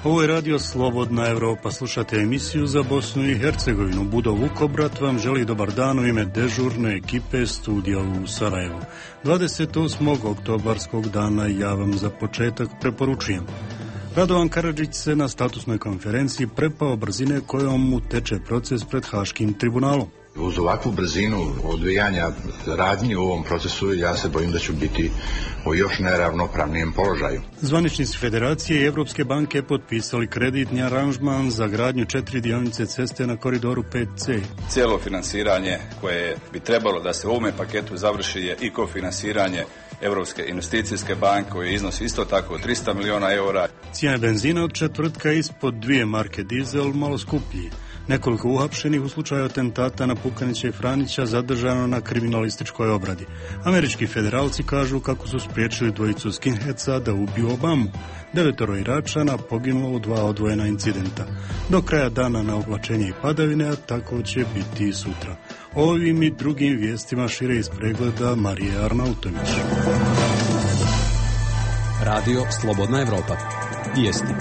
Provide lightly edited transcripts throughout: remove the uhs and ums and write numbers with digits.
Ovo je radio Slobodna Evropa. Slušate emisiju za Bosnu i Hercegovinu. Budo Vukobrat vam želi dobar dan u ime dežurne ekipe studija u Sarajevu. 28. oktobarskog dana ja vam za početak preporučujem. Radovan Karadžić se na statusnoj konferenciji prepao brzine kojom mu teče proces pred Haškim tribunalom. Uz ovakvu brzinu odvijanja radnji u ovom procesu ja se bojim da ću biti u još neravnopravnijem položaju. Zvaničnici Federacije i Evropske banke potpisali kreditni aranžman za gradnju 4 dionice ceste na koridoru 5C. Cijelo finansiranje koje bi trebalo da se u ovome paketu završi je i kofinansiranje Europske investicijske banke koji iznosi isto tako 300 miliona eura. Cijena benzina od četvrtka ispod 2 marke dizel malo skuplji. Nekoliko uhapšenih u slučaju atentata na Pukanića i Franića zadržano na kriminalističkoj obradi. Američki federalci kažu kako su spriječili dvojicu skinheadsa da ubiju Obamu. 9 Iračana poginulo u 2 odvojena incidenta. Do kraja dana na oblačenje i padavine, a tako će biti i sutra. Ovim i drugim vijestima šire iz pregleda Marije Arnautović. Radio Slobodna Evropa. Vijesti.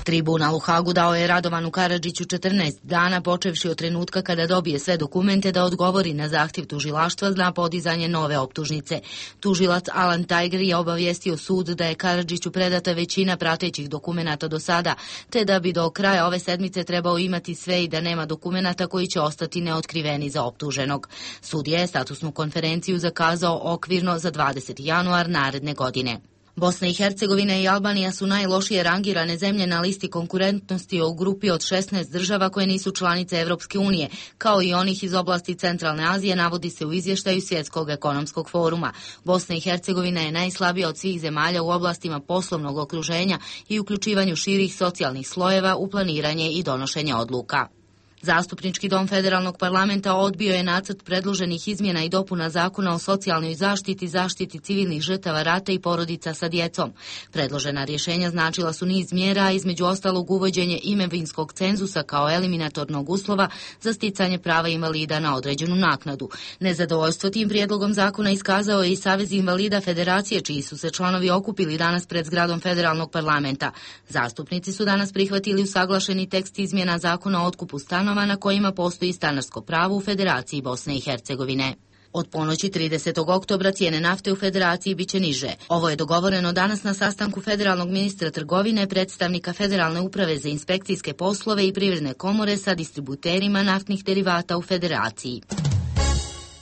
Tribunal u Hagu dao je Radovanu Karadžiću 14 dana, počevši od trenutka kada dobije sve dokumente da odgovori na zahtjev tužilaštva na podizanje nove optužnice. Tužilac Alan Tiger je obavijestio sud da je Karadžiću predata većina pratećih dokumenata do sada, te da bi do kraja ove sedmice trebao imati sve i da nema dokumenata koji će ostati neotkriveni za optuženog. Sud je statusnu konferenciju zakazao okvirno za 20. januar naredne godine. Bosna i Hercegovina i Albanija su najlošije rangirane zemlje na listi konkurentnosti u grupi od 16 država koje nisu članice Evropske unije, kao i onih iz oblasti Centralne Azije, navodi se u izvještaju Svjetskog ekonomskog foruma. Bosna i Hercegovina je najslabija od svih zemalja u oblastima poslovnog okruženja i uključivanju širih socijalnih slojeva u planiranje i donošenje odluka. Zastupnički dom Federalnog parlamenta odbio je nacrt predloženih izmjena i dopuna zakona o socijalnoj zaštiti, zaštiti civilnih žrtava rata i porodica sa djecom. Predložena rješenja značila su niz mjera, između ostalog uvođenje imovinskog cenzusa kao eliminatornog uslova za sticanje prava invalida na određenu naknadu. Nezadovoljstvo tim prijedlogom zakona iskazao je i Savez invalida Federacije, čiji su se članovi okupili danas pred zgradom Federalnog parlamenta. Zastupnici su danas prihvatili usaglašeni tekst izmjena zakona o otkupu stanova na kojima postoji stanarsko pravo u Federaciji Bosne i Hercegovine. Od ponoći 30. oktobra cijene nafte u Federaciji biće niže. Ovo je dogovoreno danas na sastanku federalnog ministra trgovine, predstavnika Federalne uprave za inspekcijske poslove i privredne komore sa distributerima naftnih derivata u Federaciji.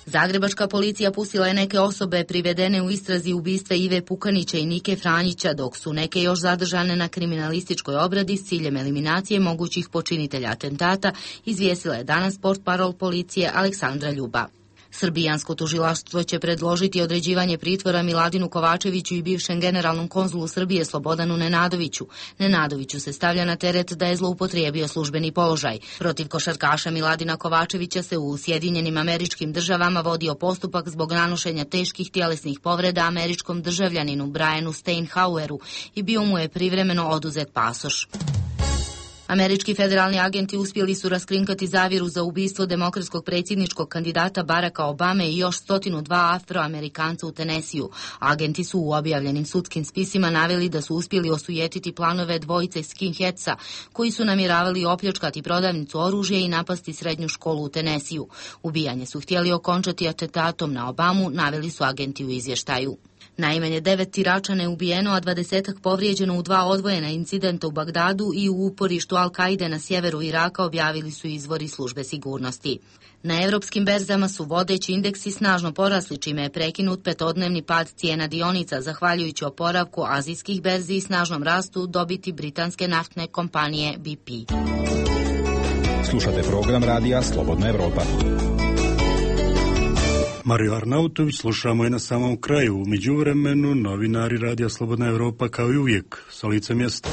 Zagrebačka policija pustila je neke osobe privedene u istrazi ubistva Ive Pukanića i Nike Franjića, dok su neke još zadržane na kriminalističkoj obradi s ciljem eliminacije mogućih počinitelja atentata, izvijestila je danas portparol policije Aleksandra Ljuba. Srbijansko tužilaštvo će predložiti određivanje pritvora Miladinu Kovačeviću i bivšem generalnom konzulu Srbije Slobodanu Nenadoviću. Nenadoviću se stavlja na teret da je zloupotrijebio službeni položaj. Protiv košarkaša Miladina Kovačevića se u Sjedinjenim Američkim Državama vodio postupak zbog nanošenja teških tjelesnih povreda američkom državljaninu Brianu Steinhaueru i bio mu je privremeno oduzet pasoš. Američki federalni agenti uspjeli su raskrinkati zavjeru za ubistvo demokratskog predsjedničkog kandidata Baracka Obame i još 102 Afroamerikanca u Tenesiju. Agenti su u objavljenim sudskim spisima naveli da su uspjeli osujetiti planove dvojice skinheadsa koji su namjeravali opljačkati prodavnicu oružja i napasti srednju školu u Tenesiju. Ubijanje su htjeli okončati atentatom na Obamu, naveli su agenti u izvještaju. Najmanje 9 Iračana je ubijeno, a 20-ak povrijeđeno u 2 odvojena incidenta u Bagdadu i u uporištu Al-Kaide na sjeveru Iraka, objavili su izvori službe sigurnosti. Na europskim berzama su vodeći indeksi snažno porasli, čime je prekinut petodnevni pad cijena dionica, zahvaljujući oporavku azijskih berzi i snažnom rastu dobiti britanske naftne kompanije BP. Slušate program radija Slobodna Evropa. Mariju Arnautović slušamo i na samom kraju. U međuvremenu novinari Radija Slobodna Evropa kao i uvijek sa lica mjesta.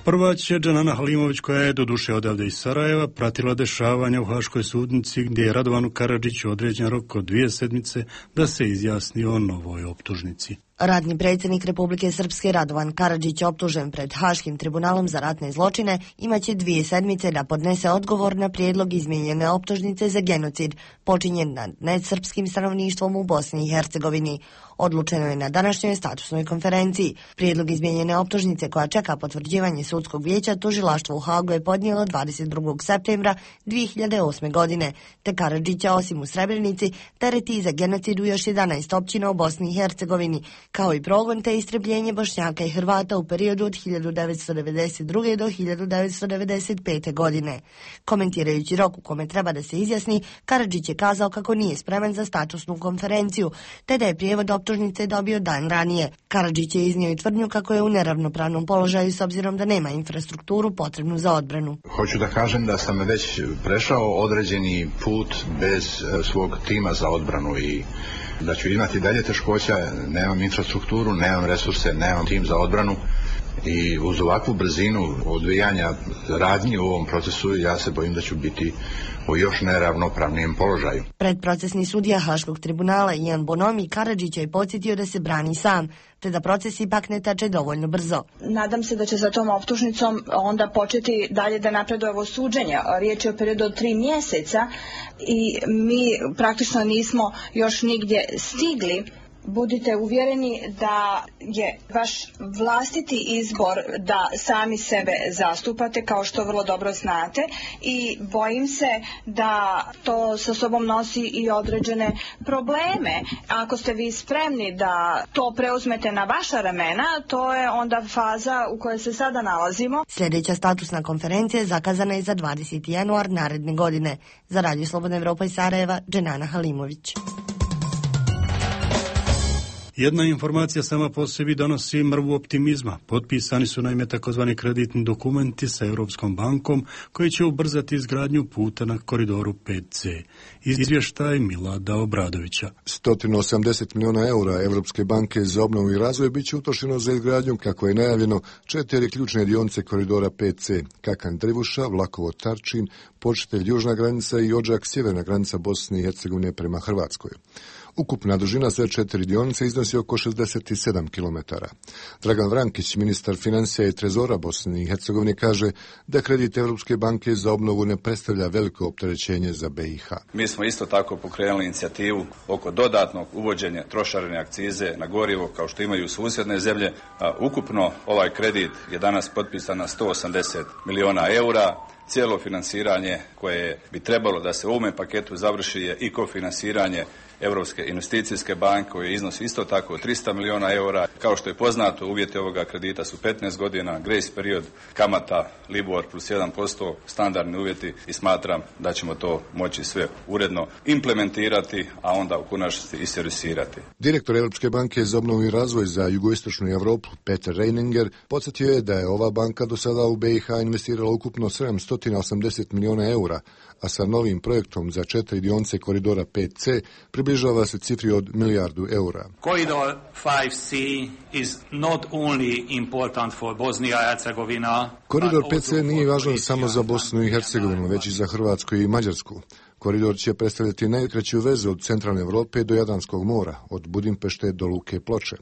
Prva će Džanana Halimović, koja je doduše odavde iz Sarajeva pratila dešavanja u Haškoj sudnici gdje je Radovanu Karadžiću određen rok od 2 sedmice da se izjasni o novoj optužnici. Ratni predsjednik Republike Srpske Radovan Karadžić, optužen pred Haškim tribunalom za ratne zločine, imaće 2 sedmice da podnese odgovor na prijedlog izmijenjene optužnice za genocid počinjen nad nesrpskim stanovništvom u Bosni i Hercegovini. Odlučeno je na današnjoj statusnoj konferenciji. Prijedlog izmijenjene optužnice koja čeka potvrđivanje sudskog vijeća tužilaštvo u Hagu je podnijelo 22. septembra 2008. godine, te Karadžića osim u Srebrenici tereti za genocid u još 11 općina u Bosni i Hercegovini, kao i progon te istrebljenje Bošnjaka i Hrvata u periodu od 1992. do 1995. godine. Komentirajući rok u kome treba da se izjasni, Karadžić je kazao kako nije spreman za statusnu konferenciju, te da je prijevod optužnice dobio dan ranije. Karadžić je iznio i tvrdnju kako je u neravnopravnom položaju s obzirom da nema infrastrukturu potrebnu za odbranu. Hoću da kažem da sam već prešao određeni put bez svog tima za odbranu i da ću imati dalje teškoća, nemam infrastrukturu, nemam resurse, nemam tim za odbranu i uz ovakvu brzinu odvijanja radnji u ovom procesu ja se bojim da ću biti u još neravnopravnijem položaju. Predprocesni sudija Haškog tribunala Ian Bonomi Karadžića je podsjetio da se brani sam, te da proces ipak ne teče dovoljno brzo. Nadam se da će za tom optužnicom onda početi dalje da napreduje ovo suđenje. Riječ je o periodu od 3 mjeseca i mi praktično nismo još nigdje stigli. Budite uvjereni da je vaš vlastiti izbor da sami sebe zastupate, kao što vrlo dobro znate, i bojim se da to sa sobom nosi i određene probleme. Ako ste vi spremni da to preuzmete na vaša ramena, to je onda faza u kojoj se sada nalazimo. Sljedeća statusna konferencija zakazana je za 20. januar naredne godine. Za Radio Slobodna Evropa iz Sarajeva, Dženana Halimović. Jedna informacija sama po sebi donosi mrvu optimizma. Potpisani su naime takozvani kreditni dokumenti sa Europskom bankom koji će ubrzati izgradnju puta na koridoru 5C. Izvještaj Milada Obradovića. 180 milijuna eura Europske banke za obnovu i razvoj bit će utrošeno za izgradnju, kako je najavljeno, 4 ključne dionice koridora 5C, Kakan Drivuša, Vlakovo Tarčin, Počitelj južna granica i Odžak sjeverna granica Bosne i Hercegovine prema Hrvatskoj. Ukupna dužina sve 4 dionice iznosi oko 67 km. Dragan Vrankić, ministar financija i trezora Bosne i Hercegovine, kaže da kredit Europske banke za obnovu ne predstavlja veliko opterećenje za BiH. Mi smo isto tako pokrenuli inicijativu oko dodatnog uvođenja trošarine akcize na gorivo kao što imaju susjedne zemlje. Ukupno ovaj kredit je danas potpisan na 180 milijuna eura. Cijelo finansiranje koje bi trebalo da se u ovome paketu završi je i kofinansiranje Europske investicijske banke koji iznosi isto tako 300 milijuna eura. Kao što je poznato, uvjeti ovoga kredita su 15 godina, grace period, kamata Libor plus 1%, standardni uvjeti i smatram da ćemo to moći sve uredno implementirati, a onda u konačnici i servisirati. Direktor Europske banke za obnovu i razvoj za jugoistočnu Europu, Peter Reininger, podsjetio je da je ova banka do sada u BiH investirala ukupno 780 milijuna eura, a sa novim projektom za 4 dionice koridora 5C približava se cifri od milijardu eura. Corridor 5C is not only important for Bosnia and Herzegovina. Koridor 5C nije važan samo za Bosnu i Hercegovinu, već i za Hrvatsku i Mađarsku. Koridor će predstavljati najkraću vezu od centralne Europe do Jadranskog mora, od Budimpešte do Luke Ploče.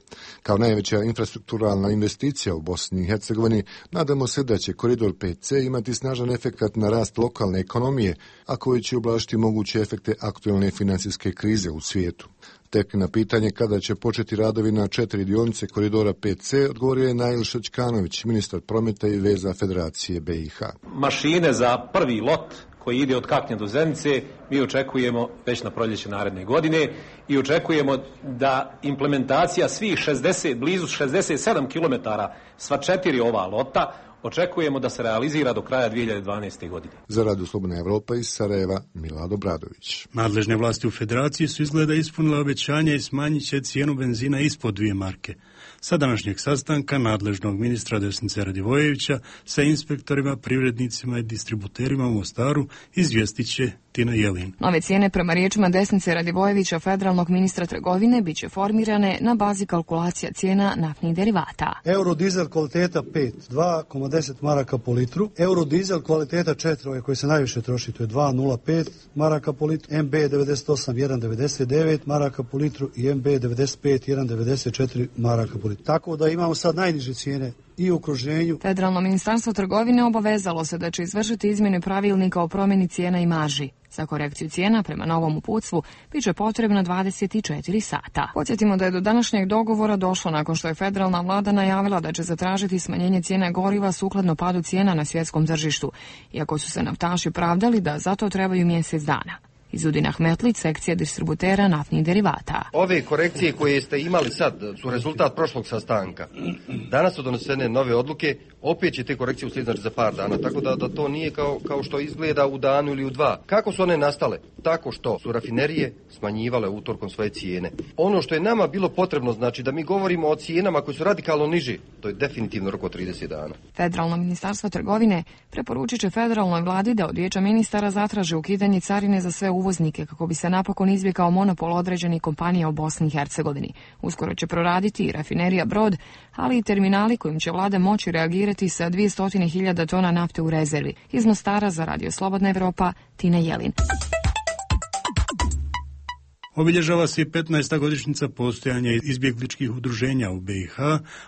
Kao najveća infrastrukturalna investicija u Bosni i Hercegovini, nadamo se da će koridor 5C imati snažan efekat na rast lokalne ekonomije, a koji će ublažiti moguće efekte aktualne financijske krize u svijetu. Tek na pitanje kada će početi radovi na 4 dionice koridora 5C odgovorio je Nail Šačkanović, ministar prometa i veza Federacije BiH. Mašine za prvi lot koji ide od Kaknja do Zenice, mi očekujemo već na proljeće naredne godine i očekujemo da implementacija svih blizu 67 km sva 4 ova lota, očekujemo da se realizira do kraja 2012. godine. Za Radio Slobodna Evropa iz Sarajeva, Milad Obradović. Nadležne vlasti u Federaciji su izgleda ispunile obećanja i smanjit će cijenu benzina ispod 2 marke. Sa današnjeg sastanka nadležnog ministra Desnice Radivojevića sa inspektorima, privrednicima i distributerima u Mostaru izvijestit će Tina Jelin. Nove cijene prema riječima Desnice Radivojevića, federalnog ministra trgovine, bit će formirane na bazi kalkulacija cijena naftnih derivata. Eurodizel kvaliteta 5, 2,10 maraka po litru. Eurodizel kvaliteta 4, ovaj koji se najviše troši, to je 2,05 maraka po litru. MB 98, 1,99 maraka po litru i MB 95, 1,94 maraka po litru. spustili, tako da imamo sad najniže cijene i u okruženju. Federalno ministarstvo trgovine obavezalo se da će izvršiti izmjene pravilnika o promjeni cijena i marži. Za korekciju cijena prema novom uputstvu biće potrebno 24 sata. Podsjetimo da je do današnjeg dogovora došlo nakon što je federalna vlada najavila da će zatražiti smanjenje cijene goriva sukladno padu cijena na svjetskom tržištu, iako su se naftaši pravdali da zato trebaju mjesec dana. Izudin Ahmetlić, sekcija distributera naftnih derivata. Ove korekcije koje ste imali sad su rezultat prošlog sastanka. Danas su donesene nove odluke, opet će te korekcije uslijediti za par dana, tako da to nije kao što izgleda u danu ili u dva. Kako su one nastale? Tako što su rafinerije smanjivale utorkom svoje cijene. Ono što je nama bilo potrebno, znači da mi govorimo o cijenama koje su radikalno niže, to je definitivno rok od 30 dana. Federalno ministarstvo trgovine preporučit će federalnoj vladi da od Vijeća ministara zatraže ukidanje carine za sve uvoznike kako bi se napokon izbjegao monopol određenih kompanija u Bosni i Hercegovini. Uskoro će proraditi i rafinerija Brod, ali i terminali kojim će vlada moći reagirati sa 200.000 tona nafte u rezervi. Iz Mostara za Radio Slobodna Evropa, Tina Jelin. Obilježava se i 15. godišnjica postojanja izbjegličkih udruženja u BiH,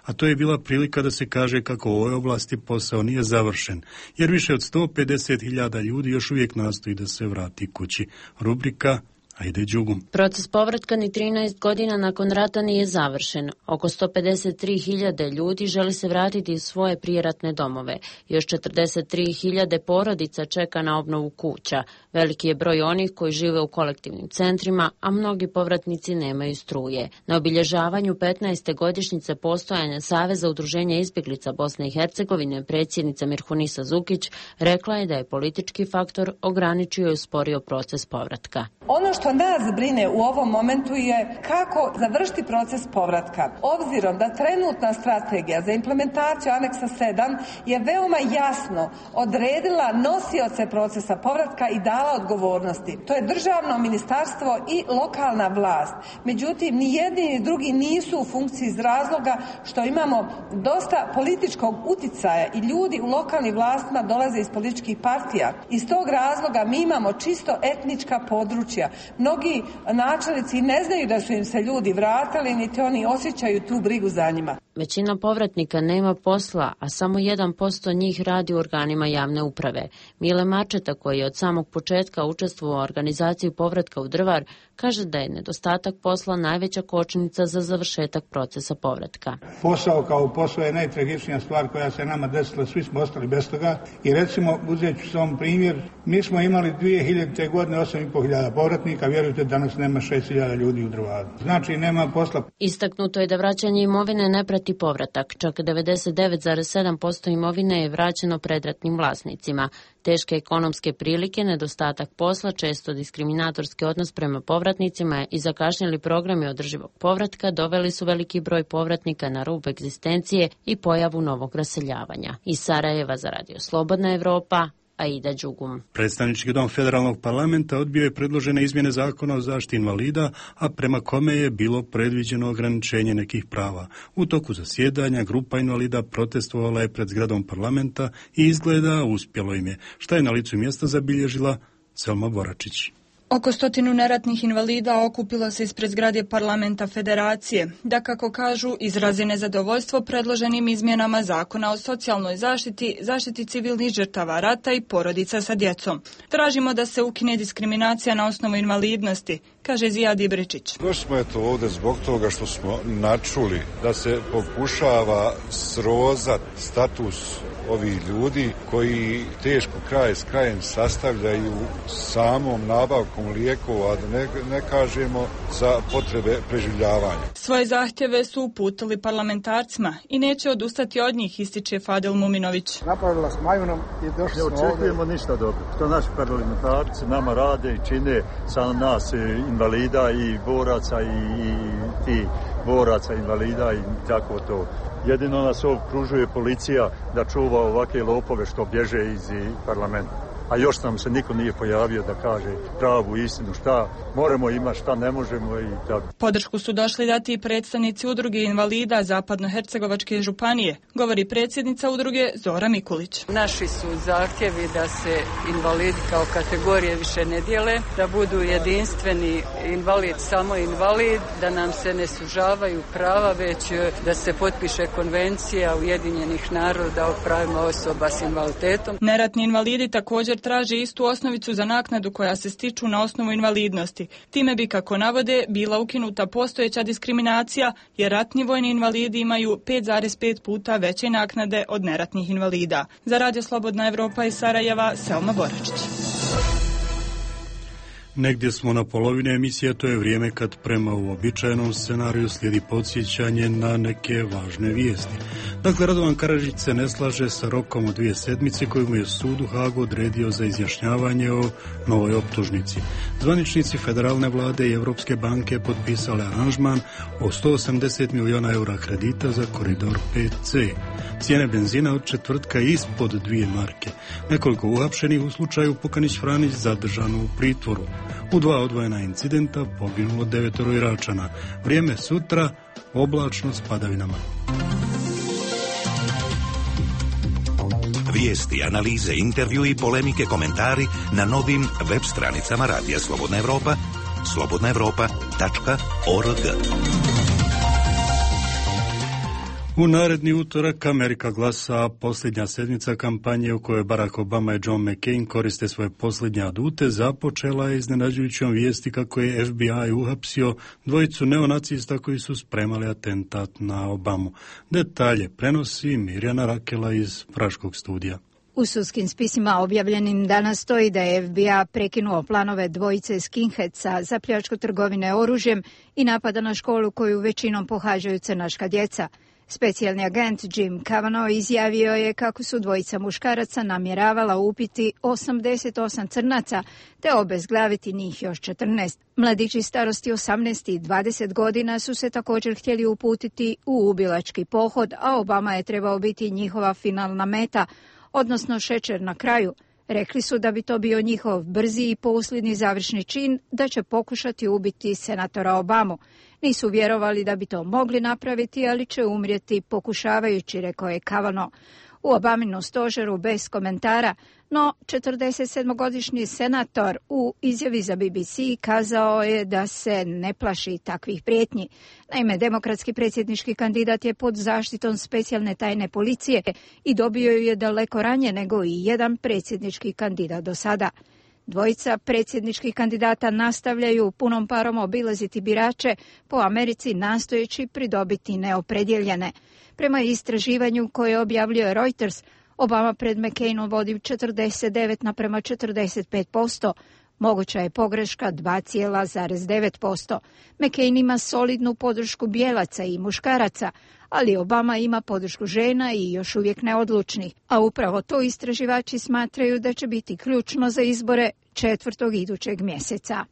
a to je bila prilika da se kaže kako u ovoj oblasti posao nije završen, jer više od 150.000 ljudi još uvijek nastoji da se vrati kući. Rubrika Ajde Đugum. Proces povratka ni 13 godina nakon rata nije završen. Oko 153.000 ljudi želi se vratiti u svoje prijeratne domove. Još 43.000 porodica čeka na obnovu kuća. Veliki je broj onih koji žive u kolektivnim centrima, a mnogi povratnici nemaju struje. Na obilježavanju 15. godišnjice postojanja Saveza udruženja izbjeglica Bosne i Hercegovine predsjednica Mirhunisa Zukić rekla je da je politički faktor ograničio i usporio proces povratka. Ono što nas brine u ovom momentu je kako završiti proces povratka. Obzirom da trenutna strategija za implementaciju aneksa 7 je veoma jasno odredila nosioce procesa povratka i dala odgovornosti. To je državno ministarstvo i lokalna vlast. Međutim, ni jedni ni drugi nisu u funkciji iz razloga što imamo dosta političkog uticaja i ljudi u lokalnim vlastima dolaze iz političkih partija. Iz tog razloga mi imamo čisto etnička područja. Mnogi načelnici ne znaju da su im se ljudi vratili, niti oni osjećaju tu brigu za njima. Većina povratnika nema posla, a samo 1% njih radi u organima javne uprave. Mile Mačeta, koji je od samog početka učestvovao u organizaciji povratka u Drvar, kaže da je nedostatak posla najveća kočnica za završetak procesa povratka. Posao kao posao je najtragičnija stvar koja se nama desila, svi smo ostali bez toga. I recimo, uzet ću sam primjer, mi smo imali 2000. godine 8.500 povratnika, vjerujte danas nema 6.000 ljudi u Drvaru. Znači nema posla. Istaknuto je da vraćanje imovine ne prati povratak, čak 99,7% imovine je vraćeno predratnim vlasnicima. Teške ekonomske prilike, nedostatak posla, često diskriminatorski odnos prema povratnicima i zakašnjeli programi održivog povratka doveli su veliki broj povratnika na rub egzistencije i pojavu novog raseljavanja. Iz Sarajeva za Radio Slobodna Evropa, Aida Đugum. Predstavnički dom federalnog parlamenta odbio je predložene izmjene zakona o zaštiti invalida, a prema kome je bilo predviđeno ograničenje nekih prava. U toku zasjedanja grupa invalida protestovala je pred zgradom parlamenta i izgleda uspjelo im je, šta je na licu mjesta zabilježila Selma Boračić. Oko 100 neratnih invalida okupilo se ispred zgrade parlamenta federacije, da kako kažu izrazi nezadovoljstvo predloženim izmjenama zakona o socijalnoj zaštiti, zaštiti civilnih žrtava rata i porodica sa djecom. Tražimo da se ukine diskriminacija na osnovu invalidnosti, kaže Zijad Ibričić. Došli smo ovdje zbog toga što smo načuli da se pokušava srozati status ovih ljudi koji teško kraj s krajem sastavljaju samom nabavkom lijekova, da ne kažemo za potrebe preživljavanja. Svoje zahtjeve su uputili parlamentarcima i neće odustati od njih, ističe Fadil Muminović. Napravila s majunom i došli smo ovdje. Ne očekujemo ništa dobro. Što naši parlamentarci nama rade i čine sa nas invalida i boraca i ti boraca, invalida i tako to. Jedino nas okružuje policija da čuva ovakve lopove što bježe iz parlamenta. a još nam se niko nije pojavio da kaže pravu istinu, šta moramo imati, šta ne možemo i tako. Podršku su došli dati i predstavnici udruge invalida Zapadnohercegovačke županije, govori predsjednica udruge Zora Mikulić. Naši su zahtjevi da se invalidi kao kategorije više ne dijele, da budu jedinstveni invalid, samo invalid, da nam se ne sužavaju prava, već da se potpiše konvencija Ujedinjenih naroda o pravima osoba s invaliditetom. Neratni invalidi također traže istu osnovicu za naknadu koja se stiču na osnovu invalidnosti. Time bi, kako navode, bila ukinuta postojeća diskriminacija, jer ratni vojni invalidi imaju 5,5 puta veće naknade od neratnih invalida. Za Radio Slobodna Evropa iz Sarajeva, Selma Boračić. Negdje smo na polovini emisije, to je vrijeme kad prema uobičajenom scenariju slijedi podsjećanje na neke važne vijesti. Dakle, Radovan Karadžić se ne slaže sa rokom od 2 sedmice koju mu je sud u Hagu odredio za izjašnjavanje o novoj optužnici. Zvaničnici federalne vlade i Europske banke potpisali aranžman o 180 milijuna eura kredita za koridor 5C. Cijene benzina od četvrtka ispod 2 marke. Nekoliko uhapšenih u slučaju Pukanić-Franić zadržano u pritvoru. U 2 odvojena incidenta poginulo 9 Iračana. Vrijeme sutra oblačno s padavinama. Vijesti, analize, intervju i polemike, komentari na novim web stranicama Radija Slobodna Evropa, slobodnaevropa.org. U naredni utorak Amerika glasa, posljednja sedmica kampanje u kojoj Barack Obama i John McCain koriste svoje posljednje adute, započela je iznenađujućom vijesti kako je FBI uhapsio dvojicu neonacista koji su spremali atentat na Obamu. Detalje prenosi Mirjana Rakela iz Praškog studija. U sudskim spisima objavljenim danas stoji da je FBI prekinuo planove dvojice skinheadsa za pljačku trgovine oružjem i napada na školu koju većinom pohađaju crnaška djeca. Specijalni agent Jim Kavanaugh izjavio je kako su dvojica muškaraca namjeravala upiti 88 crnaca te obezglaviti njih još 14. Mladići starosti 18 i 20 godina su se također htjeli uputiti u ubilački pohod, a Obama je trebao biti njihova finalna meta, odnosno šećer na kraju. Rekli su da bi to bio njihov brzi i posljednji završni čin, da će pokušati ubiti senatora Obamu. Nisu vjerovali da bi to mogli napraviti, ali će umrijeti pokušavajući, rekao je Kavanaugh. U Obaminu stožeru bez komentara, no 47-godišnji senator u izjavi za BBC kazao je da se ne plaši takvih prijetnji. Naime, demokratski predsjednički kandidat je pod zaštitom specijalne tajne policije i dobio je daleko ranije nego i jedan predsjednički kandidat do sada. Dvojica predsjedničkih kandidata nastavljaju punom parom obilaziti birače po Americi nastojeći pridobiti neopredjeljene. Prema istraživanju koje objavljuje Reuters, Obama pred McCainom vodi 49:45%. Moguća je pogreška 2,9%. McCain ima solidnu podršku bijelaca i muškaraca, ali Obama ima podršku žena i još uvijek neodlučnih. A upravo to istraživači smatraju da će biti ključno za izbore 4. idućeg mjeseca.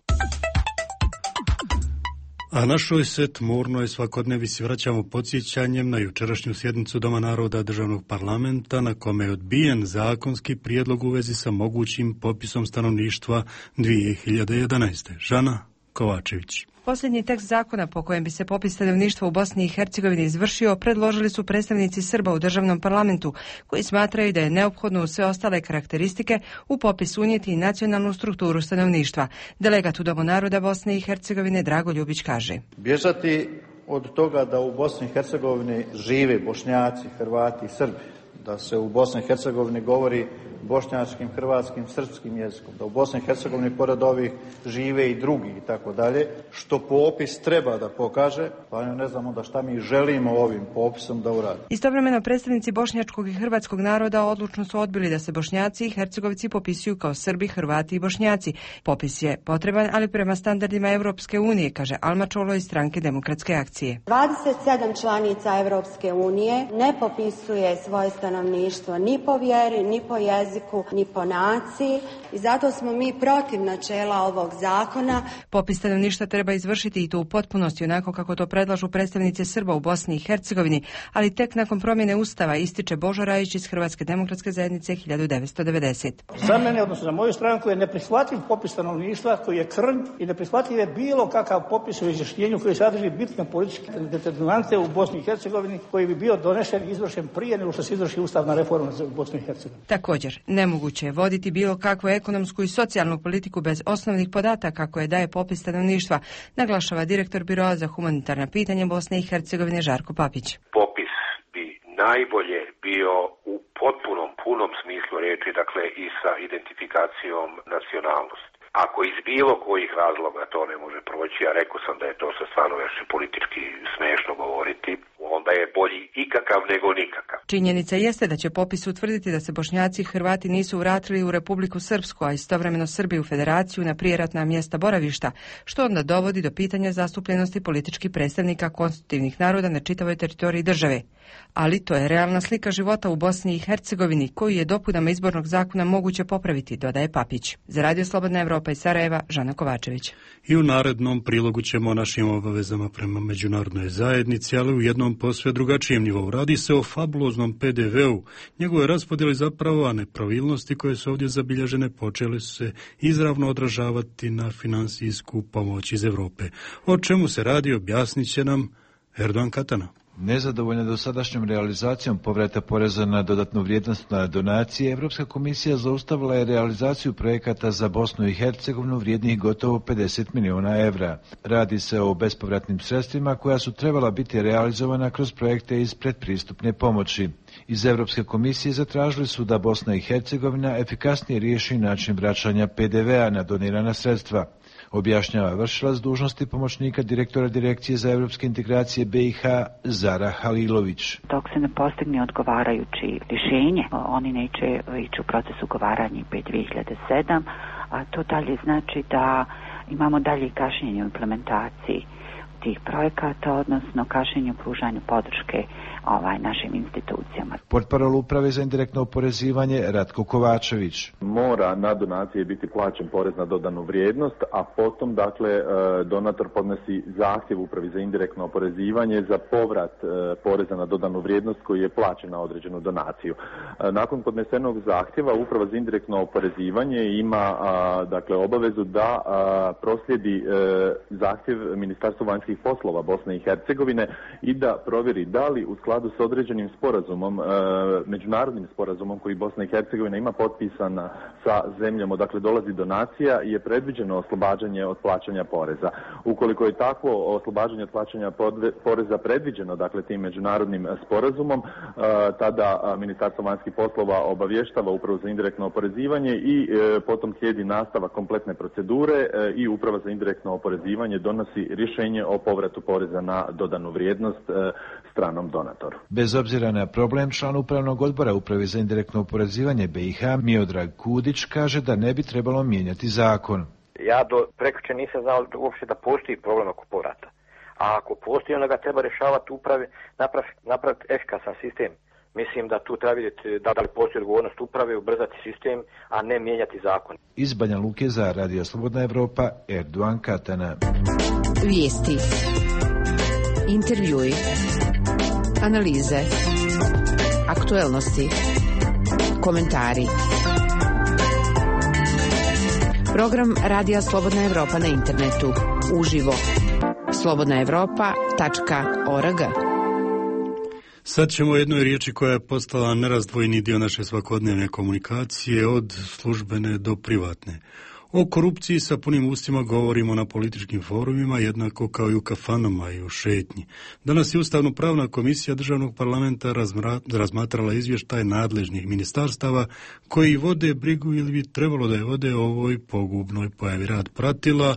A našoj se tmurnoj svakodnevici vraćamo podsjećanjem na jučerašnju sjednicu Doma naroda Državnog parlamenta na kome je odbijen zakonski prijedlog u vezi sa mogućim popisom stanovništva 2011. Žana Kovačević. Posljednji tekst zakona po kojem bi se popis stanovništva u Bosni i Hercegovini izvršio predložili su predstavnici Srba u državnom parlamentu, koji smatraju da je neophodno u sve ostale karakteristike u popis unijeti i nacionalnu strukturu stanovništva. Delegat u Domu naroda Bosne i Hercegovine Drago Ljubić kaže: bježati od toga da u Bosni i Hercegovini žive Bošnjaci, Hrvati i Srbi, da se u Bosni i Hercegovini govori bošnjačkim, hrvatskim, srpskim jezikom, da u Bosni i Hercegovini pored ovih žive i drugi i tako dalje, što popis treba da pokaže, pa ne znamo da šta mi želimo ovim popisom da uradimo. Istovremeno predstavnici bošnjačkog i hrvatskog naroda odlučno su odbili da se Bošnjaci i Hercegovci popisuju kao Srbi, Hrvati i Bošnjaci. Popis je potreban, ali prema standardima Europske unije, kaže Alma Čolo iz Stranke Demokratske akcije. 27 članica Europske unije ne popisuje svoje stanovništvo ni po vjeri, ni po jeziku, jeziku, ni po naciji i zato smo mi protiv načela ovog zakona. Popis stanovništva treba izvršiti i to u potpunosti onako kako to predlažu predstavnice Srba u Bosni i Hercegovini, ali tek nakon promjene Ustava, ističe Božo Rajić iz Hrvatske demokratske zajednice 1990. Za mene, odnosno za moju stranku, je neprihvatljiv popis stanovništva koji je krnj i neprihvatljiv je bilo kakav popis u izjašnjenju koji sadrži bitne političke determinante u Bosni i Hercegovini koji bi bio donešen i izvršen prije nego što se izvrši ustavna reforma u Bosni i Hercegovini. Također, nemoguće je voditi bilo kakvu ekonomsku i socijalnu politiku bez osnovnih podataka koje daje popis stanovništva, naglašava direktor Biroa za humanitarna pitanja Bosne i Hercegovine Žarko Papić. Popis bi najbolje bio u potpunom, punom smislu reči, dakle i sa identifikacijom nacionalnosti. Ako iz bilo kojih razloga to ne može proći, a rekao sam da je to sa stvarno još politički smešno govoriti, onda je bolji ikakav nego nikakav. Činjenica jeste da će popis utvrditi da se Bošnjaci i Hrvati nisu vratili u Republiku Srpsku, a istovremeno Srbi u Federaciju na prijeratna mjesta boravišta, što onda dovodi do pitanja zastupljenosti političkih predstavnika konstitutivnih naroda na čitavoj teritoriji države. Ali to je realna slika života u Bosni i Hercegovini, koju je dopunama izbornog zakona moguće popraviti, dodaje Papić. Za Radio Slobodna Evropa iz Sarajeva, Žana Kovačević. I u narednom prilogu ćemo o našim obavezama prema međunarodnoj zajednici, ali u jednom posve drugačijem nivou. Radi se o fabuloznom PDV-u. Njegove raspodjele zapravo, a nepravilnosti koje su ovdje zabilježene počele su se izravno odražavati na finansijsku pomoć iz Europe. O čemu se radi, objasnit će nam Erdogan Katana. Nezadovoljna dosadašnjom realizacijom povrata poreza na dodatnu vrijednost na donacije, Evropska komisija zaustavila je realizaciju projekata za Bosnu i Hercegovinu vrijednih gotovo 50 milijuna evra. Radi se o bespovratnim sredstvima koja su trebala biti realizovana kroz projekte iz predpristupne pomoći. Iz Evropske komisije zatražili su da Bosna i Hercegovina efikasnije riješi način vraćanja PDV-a na donirana sredstva. Objašnjava vršilac dužnosti pomoćnika direktora Direkcije za evropske integracije BiH Zara Halilović. Dok se ne postigne odgovarajući rješenje, oni neće ići u proces ugovaranja IP 2007, a to dalje znači da imamo dalje kašnjenje u implementaciji tih projekata, odnosno kašnjenje u pružanju podrške našim institucijama. Portparol Uprave za indirektno oporezivanje Ratko Kovačević. Mora na donacije biti plaćen porez na dodanu vrijednost, a potom donator podnosi zahtjev Upravi za indirektno oporezivanje za povrat poreza na dodanu vrijednost koji je plaćen na određenu donaciju. Nakon podnesenog zahtjeva Uprava za indirektno oporezivanje ima obavezu da proslijedi zahtjev Ministarstvu vanjskih poslova Bosne i Hercegovine i da provjeri da li u skladu s određenim sporazumom, međunarodnim sporazumom koji Bosna i Hercegovina ima potpisan sa zemljom odakle dolazi donacija, je predviđeno oslobađanje od plaćanja poreza. Ukoliko je takvo oslobađanje od plaćanja poreza predviđeno, tim međunarodnim sporazumom, tada Ministarstvo vanjskih poslova obavještava Upravu za indirektno oporezivanje i potom slijedi nastavak kompletne procedure i Uprava za indirektno oporezivanje donosi rješenje o povratu poreza na dodanu vrijednost stranom donatoru. Bez obzira na problem, član upravnog odbora Uprave za indirektno oporezivanje BiH Miodrag Kudić kaže da ne bi trebalo mijenjati zakon. Ja do prekjučer nisam znao uopće da postoji problem oko povrata. A ako postoji, onda ga treba rješavati uprave, napraviti efikasan sistem. Mislim da tu treba vidjeti da li postoji odgovornost uprave, ubrzati sistem, a ne mijenjati zakon. Iz Banja Luke za Radio Slobodna Evropa, Erdogan Katana. Vijesti, intervjui, analize, aktuelnosti, komentari. Program Radija Slobodna Evropa na internetu. Uživo. slobodnaevropa.org. Sad ćemo o jednoj riječi koja je postala nerazdvojni dio naše svakodnevne komunikacije od službene do privatne. O korupciji sa punim ustima govorimo na političkim forumima, jednako kao i u kafanama i u šetnji. Danas je Ustavno-pravna komisija Državnog parlamenta razmatrala izvještaj nadležnih ministarstava koji vode brigu ili bi trebalo da je vode o ovoj pogubnoj pojavi. Rad pratila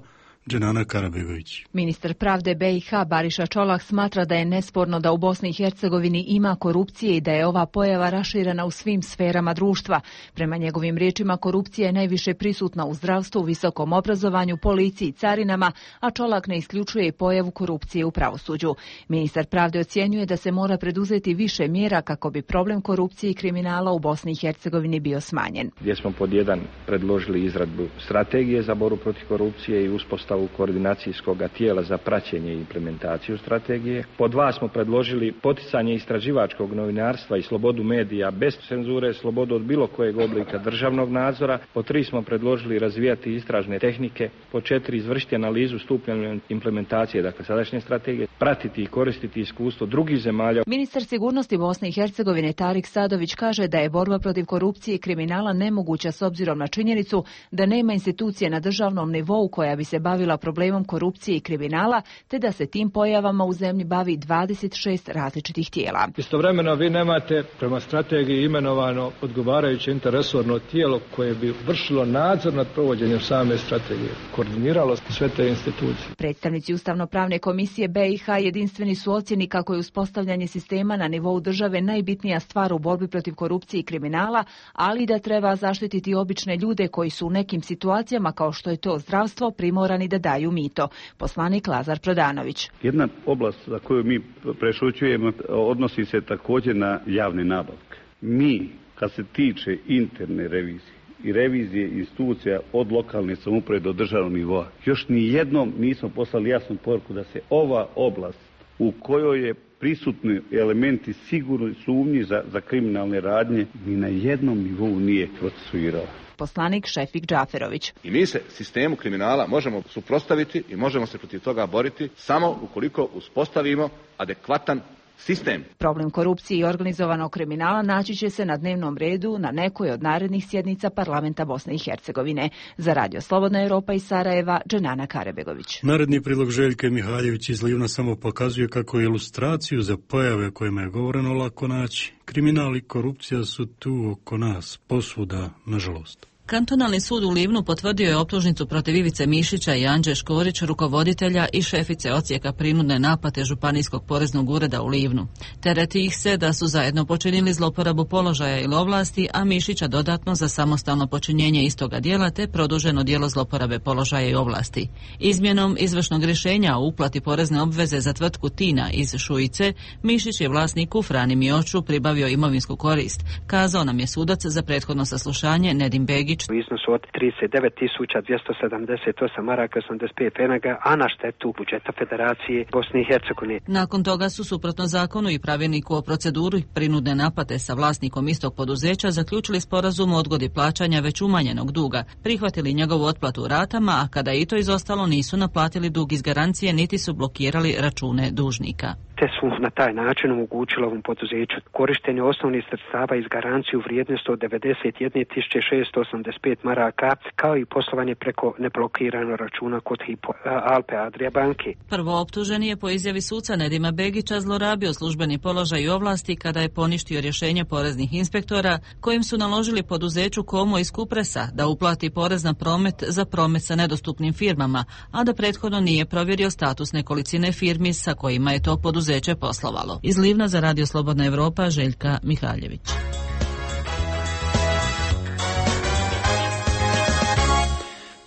Dženana Karabegović. Ministar pravde BiH Bariša Čolah smatra da je nesporno da u Bosni i Hercegovini ima korupcije i da je ova pojava raširena u svim sferama društva. Prema njegovim riječima, korupcija je najviše prisutna u zdravstvu, visokom obrazovanju, policiji, carinama, a Čolak ne isključuje i pojavu korupcije u pravosuđu. Ministar pravde ocjenjuje da se mora preduzeti više mjera kako bi problem korupcije i kriminala u Bosni i Hercegovini bio smanjen. Gdje smo pod jedan predložili izradu strategije za borbu protiv korupcije i uspostavu koordinacijskog tijela za praćenje i implementaciju strategije. Pod dva smo predložili poticanje istraživačkog novinarstva i slobodu medija bez cenzure, slobodu od bilo kojeg oblika državnog nadzora. Pod tri smo predložili razvijati istražne tehnike. Pod četiri izvršiti analizu stupnja implementacije, dakle sadašnje strategije, pratiti i koristiti iskustvo drugih zemalja. Ministar sigurnosti Bosne i Hercegovine Tarik Sadović kaže da je borba protiv korupcije i kriminala nemoguća s obzirom na činjenicu da nema institucije na državnom nivou koja bi se bavila problemom korupcije i kriminala, te da se tim pojavama u zemlji bavi 26 različitih tijela. Istovremeno vi nemate prema strategiji imenovano odgovarajuće interresorno tijelo koje bi vršilo nadzor nad provođenjem same strategije, koordiniralo sve te institucije. Predstavnici Ustavno-pravne komisije BiH jedinstveni su ocjeni kako je uspostavljanje sistema na nivou države najbitnija stvar u borbi protiv korupcije i kriminala, ali i da treba zaštititi obične ljude koji su u nekim situacijama, kao što je to zdravstvo, primorani da daju mito. Poslanik Lazar Prodanović. Jedna oblast za koju mi prešućujemo odnosi se također na javne nabavke. Mi, kad se tiče interne revizije i revizije institucija od lokalne samouprave do državnog nivoa, još ni jednom nismo poslali jasnu poruku da se ova oblast u kojoj je prisutni elementi sigurno sumnji za kriminalne radnje ni na jednom nivou nije procesuirala. Poslanik Šefik Džaferović. I mi se sistemu kriminala možemo suprotstaviti i možemo se protiv toga boriti samo ukoliko uspostavimo adekvatan sistem. Problem korupcije i organizovanog kriminala naći će se na dnevnom redu na nekoj od narednih sjednica parlamenta Bosne i Hercegovine. Za Radio Slobodna Europa iz Sarajeva, Dženana Karabegović. Naredni prilog Željke Mihaljević iz Livna samo pokazuje kako ilustraciju za pojave kojima je govoreno lako naći. Kriminal i korupcija su tu oko nas, posvuda, nažalost. Kantonalni sud u Livnu potvrdio je optužnicu protiv Ivice Mišića i Anđe Škorić, rukovoditelja i šefice odsjeka prinudne naplate Županijskog poreznog ureda u Livnu. Tereti ih se da su zajedno počinili zloporabu položaja ili ovlasti, a Mišića dodatno za samostalno počinjenje istoga djela te produženo djelo zloporabe položaja i ovlasti. Izmjenom izvršnog rješenja o uplati porezne obveze za tvrtku Tina iz Šujice, Mišić je vlasniku Frani Mioču pribavio imovinsku korist, kazao nam je sudac za prethodno saslušanje Nedim Begić. U iznosu od 39.278 maraka 85 penaga, a na štetu budžeta Federacije Bosne i Hercegovine. Nakon toga su suprotno zakonu i pravilniku o proceduri prinudne naplate sa vlasnikom istog poduzeća zaključili sporazum o odgodi plaćanja već umanjenog duga, prihvatili njegovu otplatu u ratama, a kada je i to izostalo nisu naplatili dug iz garancije niti su blokirali račune dužnika. Te su na taj način omogućili ovom poduzeću korištenje osnovnih sredstava iz garancije u vrijednosti od 91.685 maraka, kao i poslovanje preko neblokiranog računa kod Hypo Alpe Adria banke. Prvo optuženi je po izjavi suca Nedima Begića zlorabio službeni položaj i ovlasti kada je poništio rješenje poreznih inspektora kojim su naložili poduzeću Komo iz Kupresa da uplati porez na promet za promet sa nedostupnim firmama, a da prethodno nije provjerio status nekolicine firmi sa kojima je to poduzeće poslovalo. Iz Livna za Radio Slobodna Europa, Željka Mihaljević.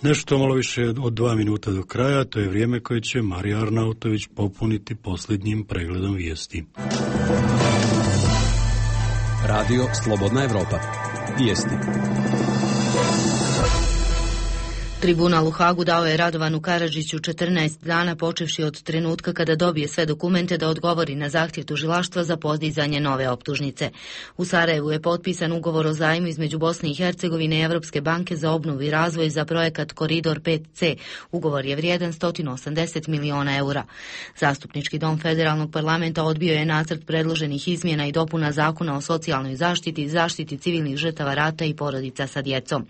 Nešto malo više od 2 minuta do kraja, to je vrijeme koje će Marija Arnautović popuniti posljednjim pregledom vijesti. Radio Slobodna Europa. Vijesti. Tribunal u Hagu dao je Radovanu Karadžiću 14 dana počevši od trenutka kada dobije sve dokumente da odgovori na zahtjev tužilaštva za podizanje nove optužnice. U Sarajevu je potpisan ugovor o zajmu između Bosne i Hercegovine i Evropske banke za obnovu i razvoj za projekat Koridor 5C. Ugovor je vrijedan 180 miliona eura. Zastupnički dom Federalnog parlamenta odbio je nacrt predloženih izmjena i dopuna Zakona o socijalnoj zaštiti, zaštiti civilnih žrtava rata i porodica sa djecom.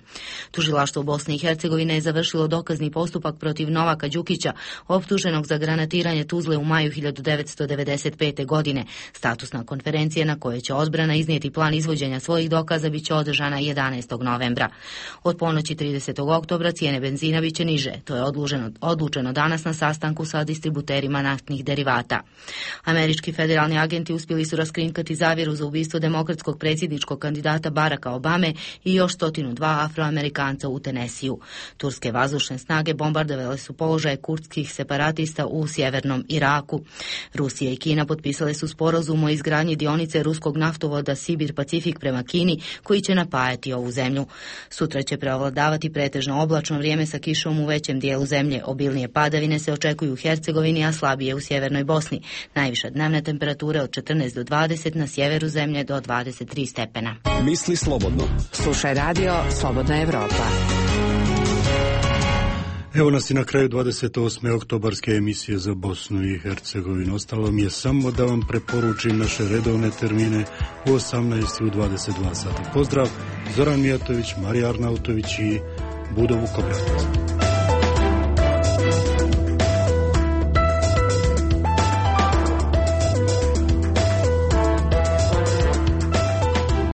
Tužilaštvo Bosne i Hercegovine je završilo dokazni postupak protiv Novaka Đukića, optuženog za granatiranje Tuzle u maju 1995. godine. Statusna konferencija na kojoj će odbrana iznijeti plan izvođenja svojih dokaza bit će održana 11. novembra. Od ponoći 30. oktobra cijene benzina bit će niže. To je odlučeno danas na sastanku sa distributerima naftnih derivata. Američki federalni agenti uspjeli su raskrinkati zavjeru za ubistvo demokratskog predsjedničkog kandidata Baracka Obame i još 102 Afroamerikanca u Tenesiju. Turske vazdušne snage bombardovale su položaje kurdskih separatista u sjevernom Iraku. Rusija i Kina potpisale su sporazum o izgradnji dionice ruskog naftovoda Sibir-Pacifik prema Kini, koji će napajati ovu zemlju. Sutra će prevladavati pretežno oblačno vrijeme sa kišom u većem dijelu zemlje. Obilnije padavine se očekuju u Hercegovini, a slabije u sjevernoj Bosni. Najviša dnevna temperatura od 14 do 20, na sjeveru zemlje do 23 stepena. Misli slobodno. Slušaj radio Slobodna Evropa. Evo nas i na kraju 28. oktobarske emisije za Bosnu i Hercegovinu. Ostalo mi je samo da vam preporučim naše redovne termine u 18 i u 22 sata. Pozdrav, Zoran Mijatović, Marija Arnautović i Budo Vukobratović.